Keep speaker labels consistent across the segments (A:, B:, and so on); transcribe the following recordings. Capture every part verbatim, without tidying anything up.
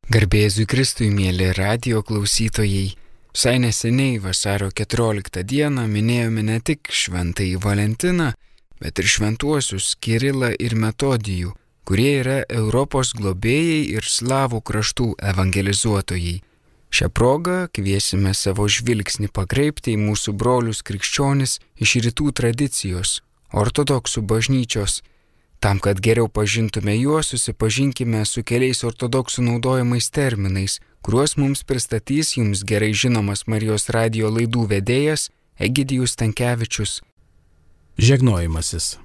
A: Garbė Jėzui Kristui, mėly radijo klausytojai. Visai neseniai vasario keturioliktą dieną minėjome ne tik šventąjį Valentiną, bet ir šventuosius Kirilą ir Metodijų, kurie yra Europos globėjai ir slavų kraštų evangelizuotojai. Šią progą kviesime savo žvilgsnį pakreipti į mūsų brolius krikščionis iš rytų tradicijos, ortodoksų bažnyčios. Tam, kad geriau pažintume juos, susipažinkime su keliais ortodoksų naudojamais terminais, kuriuos mums pristatys jums gerai žinomas Marijos radijo laidų vedėjas Egidijus Stankevičius.
B: Žegnojimasis.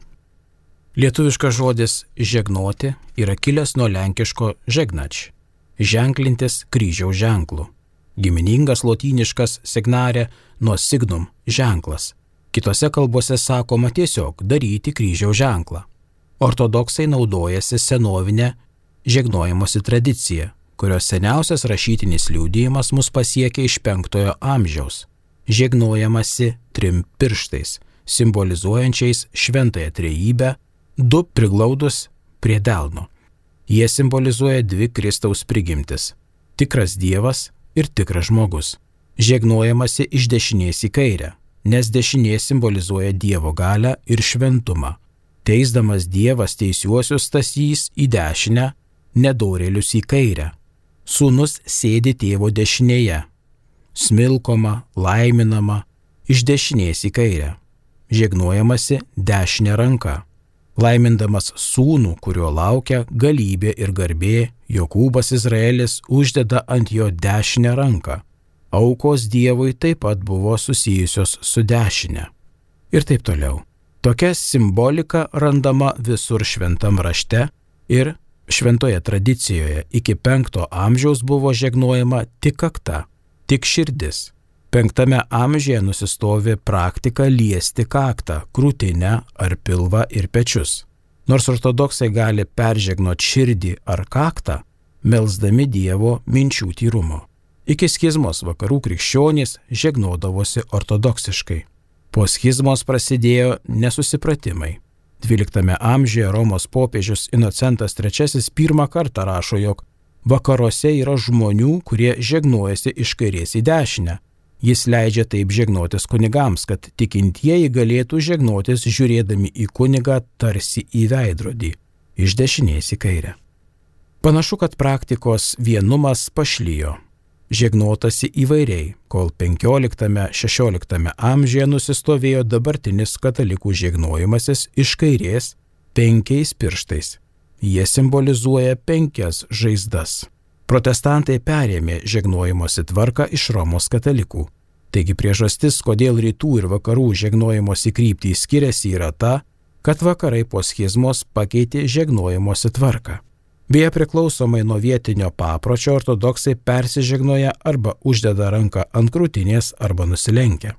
B: Lietuviškas žodis žegnoti yra kilęs nuo lenkiško žegnač, ženklintis kryžiaus ženklu. Giminingas lotyniškas signare nuo signum ženklas. Kitose kalbose sakoma tiesiog daryti kryžiaus ženklą. Ortodoksai naudojasi senovinę žegnojimosi tradiciją, kurios seniausias rašytinis liudijimas mus pasiekia iš penktojo amžiaus. Žegnojamasi trim pirštais, simbolizuojančiais šventąją trejybę, du priglaudus prie delno. Jie simbolizuoja dvi Kristaus prigimtis – tikras Dievas ir tikras žmogus. Žegnojamasi iš dešinės į kairę, nes dešinė simbolizuoja Dievo galią ir šventumą. Teisdamas Dievas teisiuosius stasys į dešinę, nedorėlius į kairę. Sūnus sėdi tėvo dešinėje, smilkoma, laiminama, iš dešinės į kairę. Žegnojamasi dešinė ranka. Laimindamas sūnų, kurio laukia galybė ir garbė, Jokūbas Izraelis uždeda ant jo dešinę ranką. Aukos Dievui taip pat buvo susijusios su dešinė. Ir taip toliau. Tokia simbolika randama visur šventam rašte ir šventoje tradicijoje. Iki penkto amžiaus buvo žegnojama tik kakta, tik širdis. Penktame amžiuje nusistovi praktika liesti kaktą, krūtinę ar pilvą ir pečius. Nors ortodoksai gali peržegnoti širdį ar kaktą, melsdami Dievo minčių tyrumo. Iki schizmos vakarų krikščionys žegnodavosi ortodoksiškai. Po schizmos prasidėjo nesusipratimai. dvyliktame amžiuje Romos popiežius Inocentas trečiasis pirmą kartą rašo, jog vakaruose yra žmonių, kurie žegnojasi iš kairės į dešinę. Jis leidžia taip žegnotis kunigams, kad tikintieji galėtų žegnotis žiūrėdami į kunigą tarsi į veidrodį, iš dešinės į kairę. Panašu, kad praktikos vienumas pašlijo. Žegnotasi įvairiai, kol penkioliktame šešioliktame amžiuje nusistovėjo dabartinis katalikų žegnojimasis iš kairės penkiais pirštais. Jie simbolizuoja penkias žaizdas. Protestantai perėmė žegnojimosi tvarką iš Romos katalikų. Taigi priežastis, kodėl rytų ir vakarų žegnojimosi kryptys skiriasi, yra ta, kad vakarai po schizmos pakeitė žegnojimosi tvarką. Beje, priklausomai nuo vietinio papročio ortodoksai persižegnoja arba uždeda ranką ant krūtinės arba nusilenkia.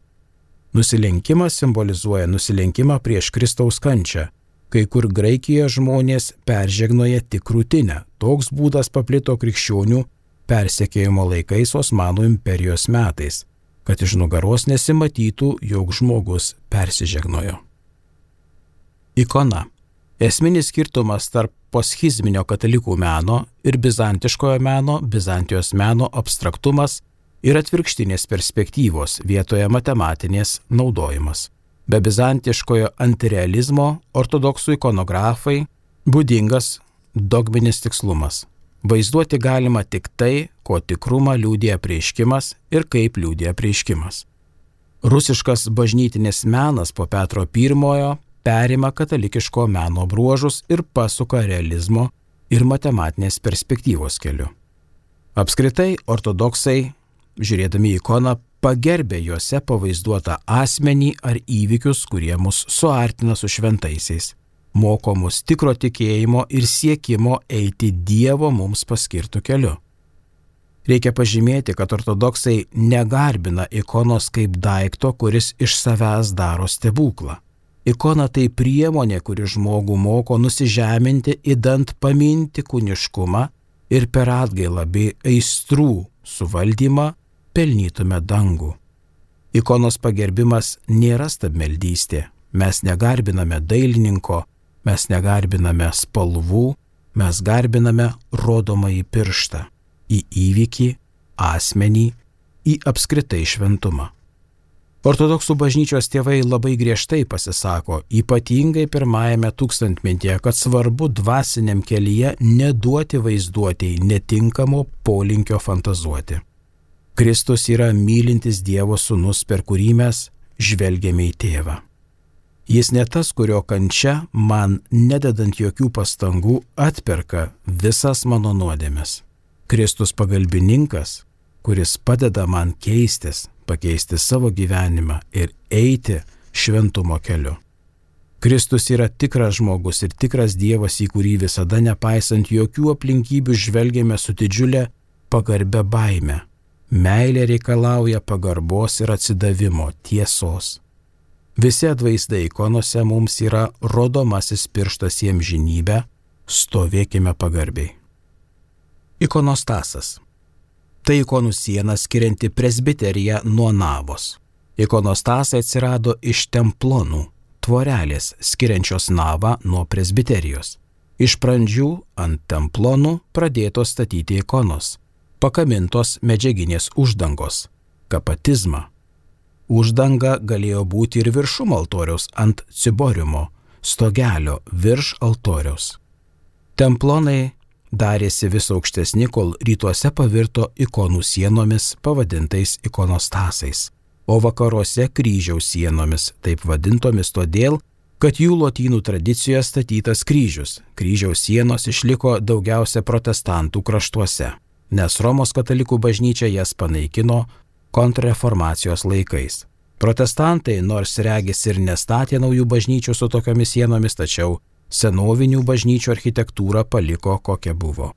B: Nusilenkimas simbolizuoja nusilenkimą prieš Kristaus kančią. Kai kur Graikijoje žmonės peržegnoja tik krūtinę. Toks būdas paplito krikščionių persekiojimo laikais Osmanų imperijos metais, kad iš nugaros nesimatytų, jog žmogus persižegnojo. Ikona. Esminis skirtumas tarp poschizminio katalikų meno ir bizantiškojo meno, Bizantijos meno abstraktumas ir atvirkštinės perspektyvos vietoje matematinės naudojimas. Be bizantiškojo antirealizmo ortodoksų ikonografai būdingas dogminis tikslumas. Vaizduoti galima tik tai, ko tikrumą liudija apreiškimas ir kaip liudija apreiškimas. Rusiškas bažnytinis menas po Petro pirmojo perima katalikiško meno bruožus ir pasuka realizmo ir matematinės perspektyvos keliu. Apskritai, ortodoksai, žiūrėdami į ikoną, pagerbė juose pavaizduotą asmenį ar įvykius, kurie mus suartina su šventaisiais, moko mus tikro tikėjimo ir siekimo eiti Dievo mums paskirtų keliu. Reikia pažymėti, kad ortodoksai negarbina ikonos kaip daikto, kuris iš savęs daro stebuklą. Ikona tai priemonė, kuri žmogų moko nusižeminti, idant paminti kūniškumą ir per atgailą bei aistrų suvaldymą pelnytume dangų. Ikonos pagerbimas nėra stabmeldystė. Mes negarbiname dailininko, mes negarbiname spalvų, mes garbiname rodomąjį pirštą. į įvykį, asmenį, į apskritai šventumą. Ortodoksų bažnyčios tėvai labai griežtai pasisako, ypatingai pirmajame tūkstantmetyje, kad svarbu dvasiniam kelyje neduoti vaizduotėjai netinkamo polinkio fantazuoti. Kristus yra mylintis Dievo sūnus, per kurį mes žvelgiame į tėvą. Jis ne tas, kurio kančia man, nededant jokių pastangų, atperka visas mano nuodėmes. Kristus pagalbininkas, kuris padeda man keistis, pakeisti savo gyvenimą ir eiti šventumo keliu. Kristus yra tikras žmogus ir tikras Dievas, į kurį visada nepaisant jokių aplinkybių žvelgiame su didžiulė pagarbia baime. Meilė reikalauja pagarbos ir atsidavimo, tiesos. Visi atvaizdai ikonose mums yra rodomasis pirštas į amžinybę, stovėkime pagarbiai. Ikonostasas. Tai ikonų siena skirianti presbiteriją nuo navos. Ikonostasai atsirado iš templonų, tvorelės skiriančios navą nuo presbiterijos. Iš pradžių ant templonų pradėtos statyti ikonos, pakamintos medžiaginės uždangos, kapatizma. Uždanga galėjo būti ir viršum altoriaus ant ciboriumo, stogelio virš altoriaus. Templonai darėsi vis aukštesni, kol rytuose pavirto ikonų sienomis pavadintais ikonostasais, o vakaruose kryžiaus sienomis, taip vadintomis todėl, kad jų lotynų tradicijoje statytas kryžius. Kryžiaus sienos išliko daugiausia protestantų kraštuose, nes Romos katalikų bažnyčia jas panaikino kontrreformacijos laikais. Protestantai, nors regis ir nestatė naujų bažnyčių su tokiomis sienomis, tačiau senovinių bažnyčių architektūrą paliko kokia buvo.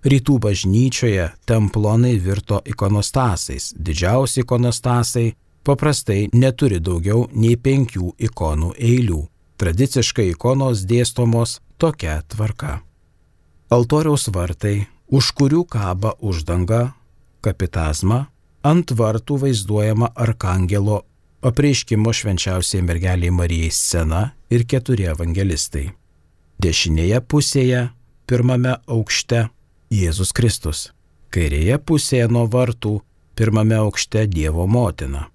B: Rytų bažnyčioje templonai virto ikonostasais. Didžiausi ikonostasai paprastai neturi daugiau nei penkių ikonų eilių. Tradiciškai ikonos dėstomos tokia tvarka. Altoriaus vartai, už kurių kaba uždanga, kapitazma, ant vartų vaizduojama arkangelo apreiškimo švenčiausiai mergeliai Marijai scena ir keturi evangelistai. Dešinėje pusėje, pirmame aukšte, Jėzus Kristus. Kairėje pusėje nuo vartų, pirmame aukšte Dievo motina.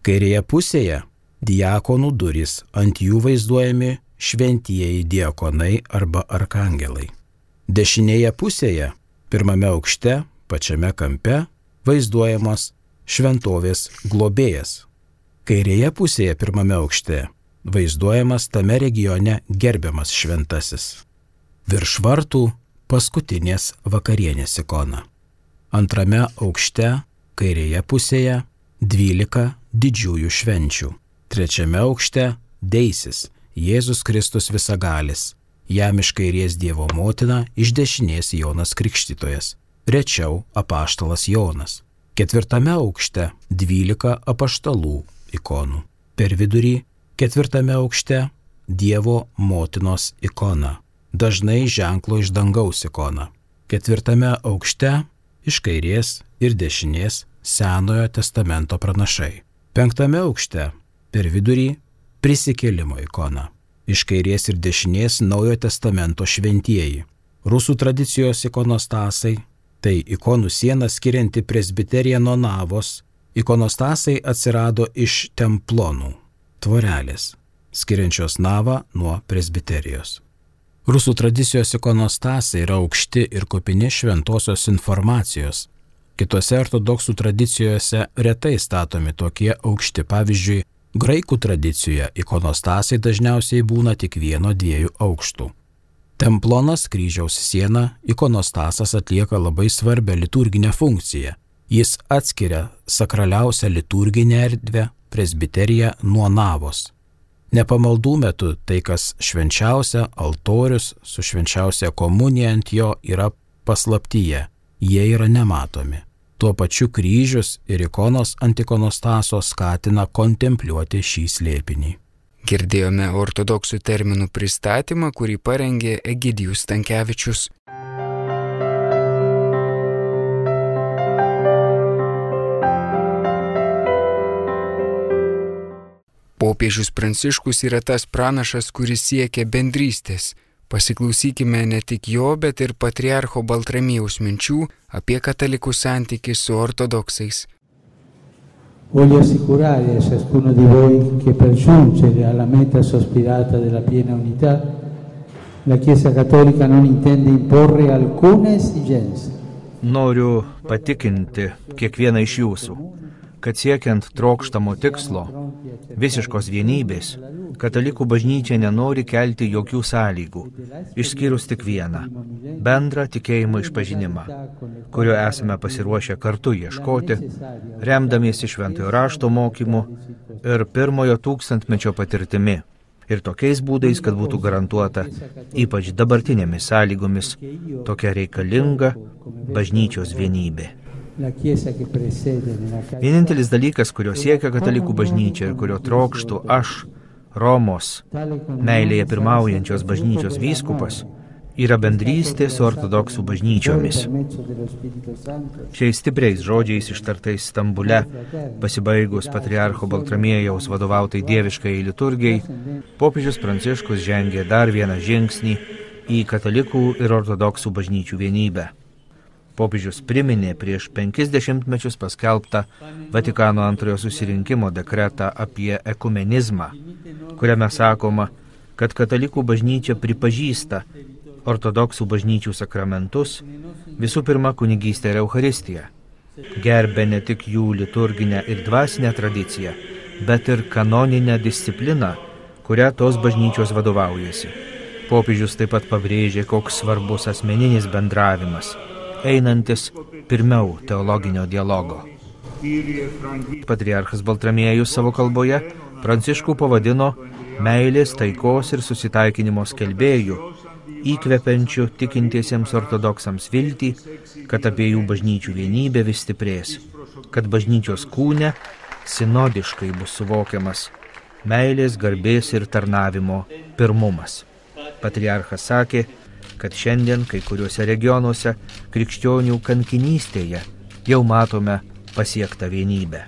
B: Kairėje pusėje diakonų durys, ant jų vaizduojami šventieji diakonai arba arkangelai. Dešinėje pusėje, pirmame aukšte, pačiame kampe, vaizduojamas šventovės globėjas. Kairėje pusėje, pirmame aukšte, vaizduojamas tame regione gerbiamas šventasis. Virš vartų paskutinės vakarienės ikona. Antrame aukšte, kairėje pusėje, dvylika didžiųjų švenčių. Trečiame aukšte deisis Jėzus Kristus visagalis, jam iš kairės Dievo motina, iš dešinės Jonas Krikštytojas, rečiau apaštalas Jonas. Ketvirtame aukšte dvylika apaštalų ikonų. Per vidurį ketvirtame aukšte Dievo motinos ikona, dažnai ženklo iš dangaus ikona. Ketvirtame aukšte iš kairės ir dešinės Senojo testamento pranašai. Penktame aukšte per vidurį prisikėlimo ikona. Iš kairės ir dešinės Naujojo testamento šventieji. Rusų tradicijos ikonostasai, tai ikonų siena skirianti presbiteriją nuo navos. Ikonostasai atsirado iš templonų, tvorelės, skiriančios navą nuo presbiterijos. Rusų tradicijos ikonostasai yra aukšti ir kupini šventosios informacijos. Kitose ortodoksų tradicijose retai statomi tokie aukšti. Pavyzdžiui, graikų tradicijoje ikonostasai dažniausiai būna tik vieno dviejų aukštų. Templonas, kryžiaus siena, ikonostasas atlieka labai svarbią liturginę funkciją. Jis atskiria sakraliausią liturginę erdvę, presbiteriją, nuo navos. Nepamaldų metu tai, kas švenčiausia, altorius su švenčiausia komunija ant jo, yra paslaptyje. Jie yra nematomi. Tuo pačiu kryžius ir ikonos ant ikonostaso skatina kontempliuoti šį slėpinį.
A: Girdėjome ortodoksų terminų pristatymą, kurį parengė Egidijus Stankevičius. Popiežius Pranciškus yra tas pranašas, kuris siekia bendrystės, Pasiklausykime ne tik jo, bet ir patriarcho Baltramiejaus minčių apie katalikų santykį su ortodoksais.
C: Voglio assicurare a ciascuno di voi che per giungere alla meta sospirata della piena unità, la Chiesa Cattolica non intende imporre alcuna esigenza.
D: Noriu patikinti kiekvieną iš jūsų, kad siekiant trokštamo tikslo, visiškos vienybės, katalikų bažnyčia nenori kelti jokių sąlygų, išskyrus tik vieną – bendrą tikėjimo išpažinimą, kurio esame pasiruošę kartu ieškoti, remdamiesi šventojo rašto mokymu ir pirmojo tūkstantmečio patirtimi, ir tokiais būdais, kad būtų garantuota, ypač dabartinėmis sąlygomis, tokia reikalinga bažnyčios vienybė. Vienintelis dalykas, kurio siekia katalikų bažnyčia ir kurio trokštų aš, Romos, meilėje pirmaujančios bažnyčios vyskupas, yra bendrystė su ortodoksų bažnyčiomis. Šiais stipriais žodžiais ištartais Stambule, pasibaigus patriarcho Baltramiejaus vadovautai dieviškai liturgijai, popiežius Pranciškus žengė dar vieną žingsnį į katalikų ir ortodoksų bažnyčių vienybę. Popiežius priminė prieš penkis dešimtmečius paskelbtą Vatikano antrojo susirinkimo dekretą apie ekumenizmą, kuriame sakoma, kad katalikų bažnyčia pripažįsta ortodoksų bažnyčių sakramentus, visų pirma kunigystę ir Eucharistiją, gerbė ne tik jų liturginę ir dvasinę tradiciją, bet ir kanoninę discipliną, kurią tos bažnyčios vadovaujasi. Popiežius taip pat pabrėžė, koks svarbus asmeninis bendravimas, einantis pirmiau teologinio dialogo. Patriarchas Baltramiejus savo kalboje Pranciškų pavadino meilės, taikos ir susitaikinimo skelbėjų, įkvepiančių tikintiesiems ortodoksams viltį, kad abiejų bažnyčių vienybė vis stiprės, kad bažnyčios kūne sinodiškai bus suvokiamas meilės, garbės ir tarnavimo pirmumas. Patriarchas sakė, kad šiandien kai kuriuose regionuose krikščionių kankinystėje jau matome pasiektą vienybę.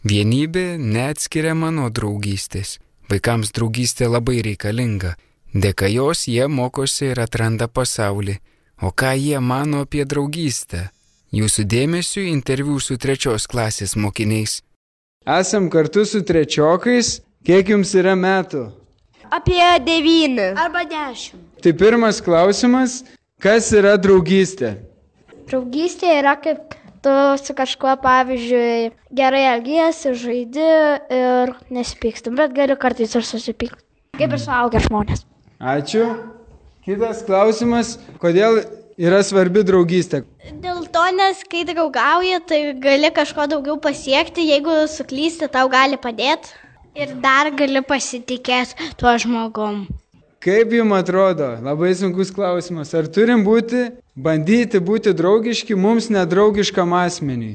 A: Vienybė neatskiriama nuo draugystės. Vaikams draugystė labai reikalinga. Dėka jos jie mokosi ir atranda pasaulį. O ką jie mano apie draugystę? Jūsų dėmesiu interviu su trečios klasės mokiniais.
E: Esam kartu su trečiokais. Kiek jums yra metų?
F: Apie devyni. Arba dešimt.
E: Tai pirmas klausimas, kas yra draugystė?
F: Draugystė yra kaip tu su kažkuo, pavyzdžiui, gerai elgiesi, žaidi ir nesipyksti, bet gali kartais ir susipykti. Kaip ir suaugę žmonės.
E: Ačiū. Kitas klausimas, kodėl yra svarbi draugystė?
F: Dėl to, nes kai draugauji, tai gali kažko daugiau pasiekti, jeigu suklysti, tau gali padėti ir dar gali pasitikėti tuo žmogum.
E: Kaip jums atrodo? Labai sunkus klausimas. Ar turim būti, bandyti būti draugiški mums nedraugiškam asmeniui?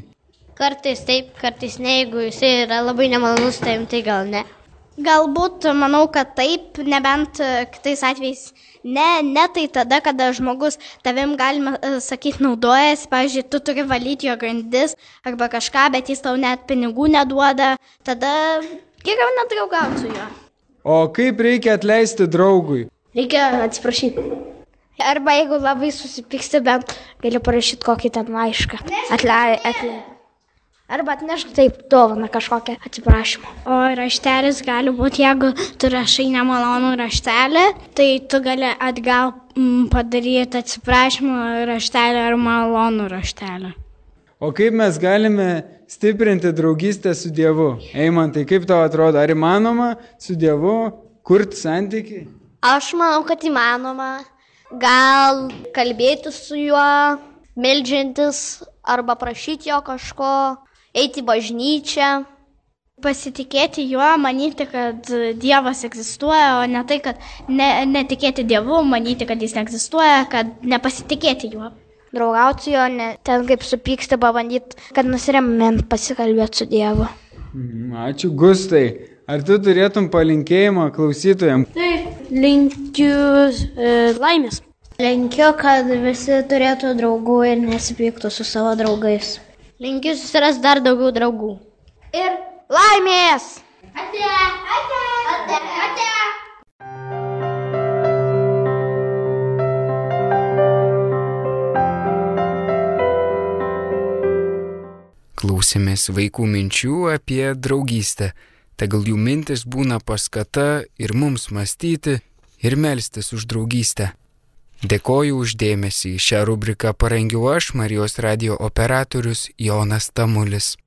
F: Kartais taip, kartais ne, jeigu jisai yra labai nemalonus, tai, tai gal ne. Galbūt, manau, kad taip, nebent kitais atvejais ne, ne tai tada, kada žmogus tavim, galima sakyti, naudojasi, pavyzdžiui, tu turi valyti jo grindis arba kažką, bet jis tau net pinigų neduoda, tada geriau nedraugauti su juo.
E: O kaip reikia atleisti draugui?
F: Reikia atsiprašyti. Arba jeigu labai susipyksti, bent gali parašyti kokį ten laišką. Atlei, atlei. Arba atnešk taip dovaną kažkokią atsiprašymą. O raštelis gali būti, jeigu tu rašai nemalonų raštelį, tai tu gali atgal m, padaryti atsiprašymą raštelį ar malonų raštelį.
E: O kaip mes galime stiprinti draugystę su Dievu? Eimantai, kaip tau atrodo, ar įmanoma su Dievu kurti santykį?
F: Aš manau, kad įmanoma. Gal kalbėti su juo, meldžiantis arba prašyti jo kažko, eiti į bažnyčią. Pasitikėti juo, manyti, kad Dievas egzistuoja, o ne tai, kad ne, netikėti Dievu, manyti, kad jis neegzistuoja, kad nepasitikėti juo. Draugauti su juo, ne, ten kaip supyksti, pabandyti, kad nusiremint pasikalbėti su Dievu.
E: Ačiū, Gustai. Ar tu turėtum palinkėjimą klausytojams?
F: Taip, linkiu e, laimės. Linkiu, kad visi turėtų draugų ir nesipyktų su savo draugais. Linkiu susirasti dar daugiau draugų. Ir laimės! Ate, ate, ate, ate.
A: Klausėmės vaikų minčių apie draugystę. Tegul jų mintis būna paskata ir mums mąstyti ir melstis už draugystę. Dėkoju už dėmesį. Šią rubriką parengiau aš, Marijos radijo operatorius Jonas Tamulis.